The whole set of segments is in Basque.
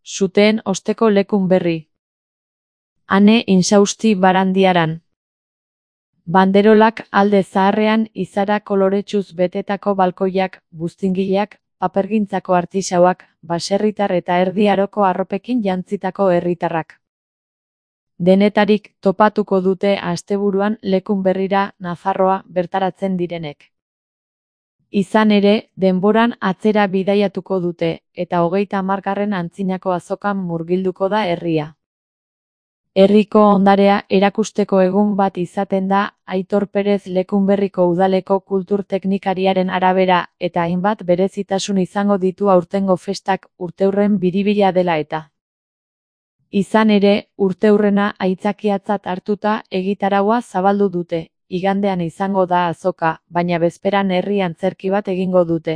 suteen osteko lekun berri. Ane insausti barandiaran. Banderolak alde zaharrean izara koloretsuz betetako balkoiak, buztingileak, papergintzako artisauak, baserritar eta erdi aroko arropekin jantzitako herritarrak. Denetarik topatuko dute asteburuan lekun berrira Nafarroa bertaratzen direnek. Izan ere, denboran atzera bidaiatuko dute, eta 30. antzinako azokan murgilduko da herria. Herriko ondarea erakusteko egun bat izaten da Aitor Perez Lekunberriko udaleko kultur teknikariaren arabera eta hainbat berezitasun izango ditu aurtengo festak urteurren biribila dela eta. Izan ere, urteurrena aitzakiatzat hartuta egitaraua zabaldu dute. Igandean izango da azoka, baina bezperan herri antzerki bat egingo dute.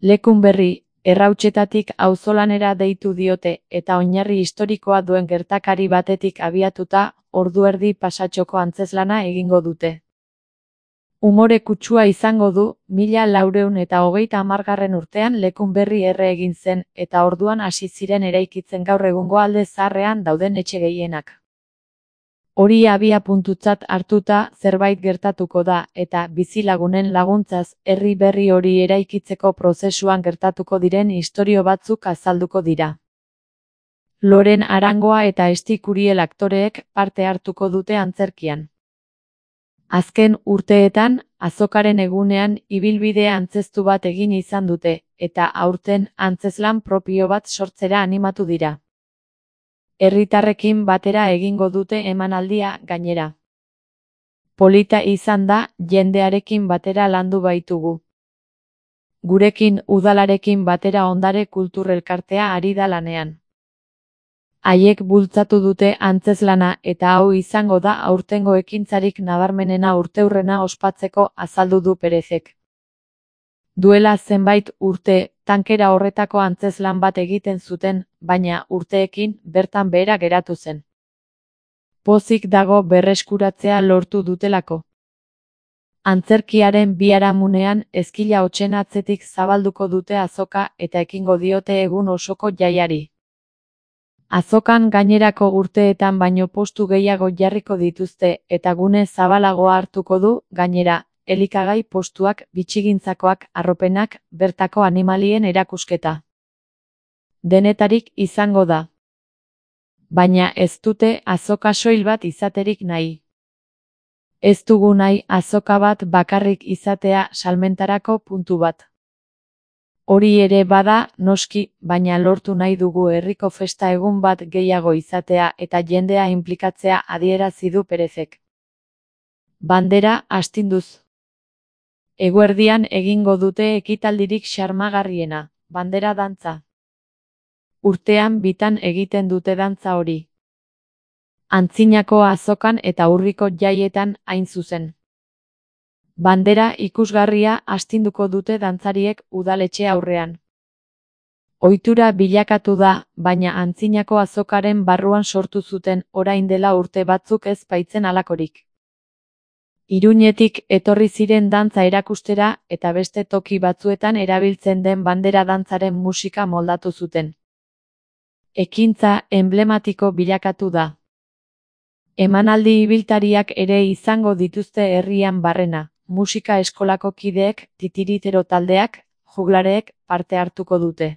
Lekunberri, Errautsetatik auzolanera deitu diote eta oinarri historikoa duen gertakari batetik abiatuta, ordu erdi pasatxoko antzeslana egingo dute. Umore kutsua izango du, 1430 urtean Lekunberri erre egin zen eta orduan hasi ziren eraikitzen gaur egungo alde zaharrean dauden etxe gehienak. Hori abiapuntutzat hartuta zerbait gertatuko da eta bizilagunen laguntzaz herri berri hori eraikitzeko prozesuan gertatuko diren istorio batzuk azalduko dira. Loren Arangoa eta Esti Kuriel aktoreek parte hartuko dute antzerkian. Azken urteetan, azokaren egunean ibilbide antzeztu bat egin izan dute, eta aurten antzezlan propio bat sortzera animatu dira. Herritarrekin batera egingo dute emanaldia gainera. Polita izan da, jendearekin batera landu baitugu. Gurekin udalarekin batera ondare kulturelkartea ari da lanean. Haiek bultzatu dute antzezlana eta hau izango da aurtengo ekintzarik nabarmenena urteurrena ospatzeko azaldu du Perezek. Duela zenbait urte, tankera horretako antzezlan bat egiten zuten, baina urteekin bertan behera geratu zen. Pozik dago berreskuratzea lortu dutelako. Antzerkiaren biharamunean ezkila hotsen atzetik zabalduko dute azoka eta ekingo diote egun osoko jaiari. Azokan gainerako urteetan baino postu gehiago jarriko dituzte eta gune zabalagoa hartuko du, gainera, elikagai postuak, bitxigintzakoak, arropenak, bertako animalien erakusketa. Denetarik izango da. Baina ez dute azoka soil bat izaterik nahi. Ez dugu nahi azoka bat bakarrik izatea salmentarako puntu bat. Hori ere bada, noski, baina lortu nahi dugu herriko festa egun bat gehiago izatea eta jendea inplikatzea adierazi du Perezek. Bandera astinduz. Eguerdian egingo dute ekitaldirik xarmagarriena, bandera dantza. Urtean bitan egiten dute dantza hori. Antzinako azokan eta urriko jaietan hain zuzen. Bandera ikusgarria astinduko dute dantzariek udaletxe aurrean. Ohitura bilakatu da, baina antzinako azokaren barruan sortu zuten orain dela urte batzuk ez baitzen halakorik. Iruñetik etorri ziren dantza erakustera eta beste toki batzuetan erabiltzen den bandera dantzaren musika moldatu zuten. Ekintza emblematiko bilakatu da. Emanaldi ibiltariak ere izango dituzte herrian barrena, musika eskolako kideek, titiritero taldeak, juglareek parte hartuko dute.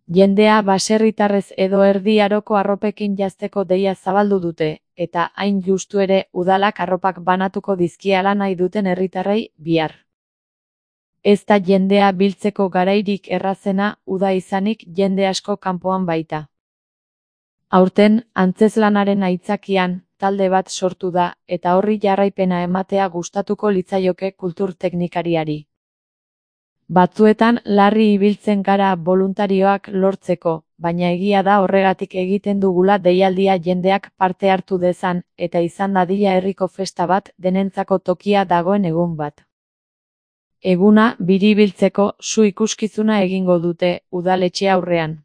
Jendea baserritarrez edo erdi aroko arropekin jazteko deia zabaldu dute, eta hain justu ere udalak arropak banatuko dizkiala nahi duten herritarrei bihar. Ez da jendea biltzeko garairik errazena, uda izanik jende asko kanpoan baita. Aurten, antzezlanaren aitzakian, talde bat sortu da, eta horri jarraipena ematea gustatuko litzaioke kultur teknikariari. Batzuetan larri ibiltzen gara boluntarioak lortzeko, baina egia da horregatik egiten dugula deialdia jendeak parte hartu dezan, eta izan dadila herriko festa bat denentzako tokia dagoen egun bat. Eguna biribiltzeko su ikuskizuna egingo dute udaletxe aurrean.